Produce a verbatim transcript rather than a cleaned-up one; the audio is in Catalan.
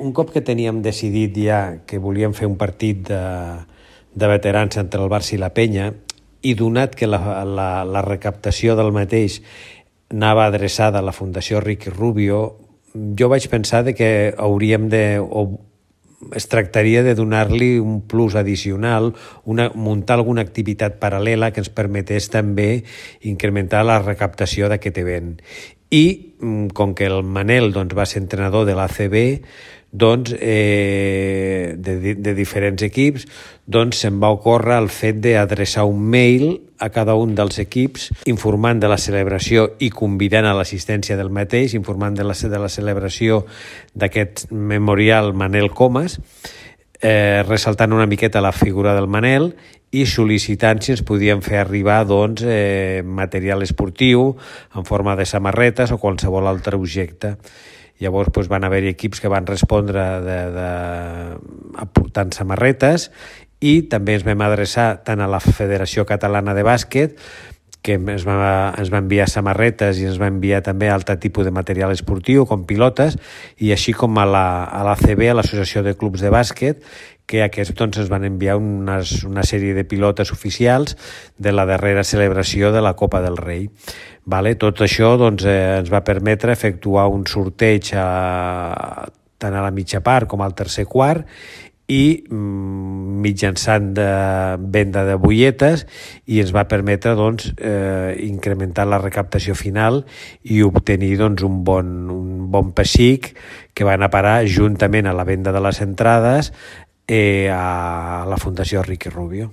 Un cop que teníem decidit ja que volíem fer un partit de, de veterans entre el Barça i la Penya, i donat que la, la, la recaptació del mateix anava adreçada a la Fundació Ricky Rubio, jo vaig pensar de que hauríem de, o es tractaria de donar-li un plus addicional, una, muntar alguna activitat paral·lela que ens permetés també incrementar la recaptació d'aquest event. I com que el Manel doncs, va ser entrenador de l'A C B, doncs, eh, de, de diferents equips, doncs se'n va ocórrer el fet d'adreçar un mail a cada un dels equips informant de la celebració i convidant a l'assistència del mateix, informant de la, de la celebració d'aquest memorial Manel Comas, eh, ressaltant una miqueta la figura del Manel i sol·licitant si ens podien fer arribar doncs, eh, material esportiu en forma de samarretes o qualsevol altre objecte. Llavors doncs, van haver equips que van respondre de, de, aportant samarretes i també ens vam adreçar tant a la Federació Catalana de Bàsquet, que ens va, ens va enviar samarretes i ens va enviar també altre tipus de material esportiu, com pilotes, i així com a la, a l'A C B, a l'Associació de Clubs de Bàsquet, que aquests doncs, ens van enviar unes, una sèrie de pilotes oficials de la darrera celebració de la Copa del Rei. Vale? Tot això doncs, eh, ens va permetre efectuar un sorteig a, tant a la mitja part com al tercer quart i mm, mitjançant de venda de butlletes i ens va permetre doncs, eh, incrementar la recaptació final i obtenir doncs, un, bon, un bon pessic que va anar a parar juntament a la venda de les entrades eh, a la Fundació Ricky Rubio.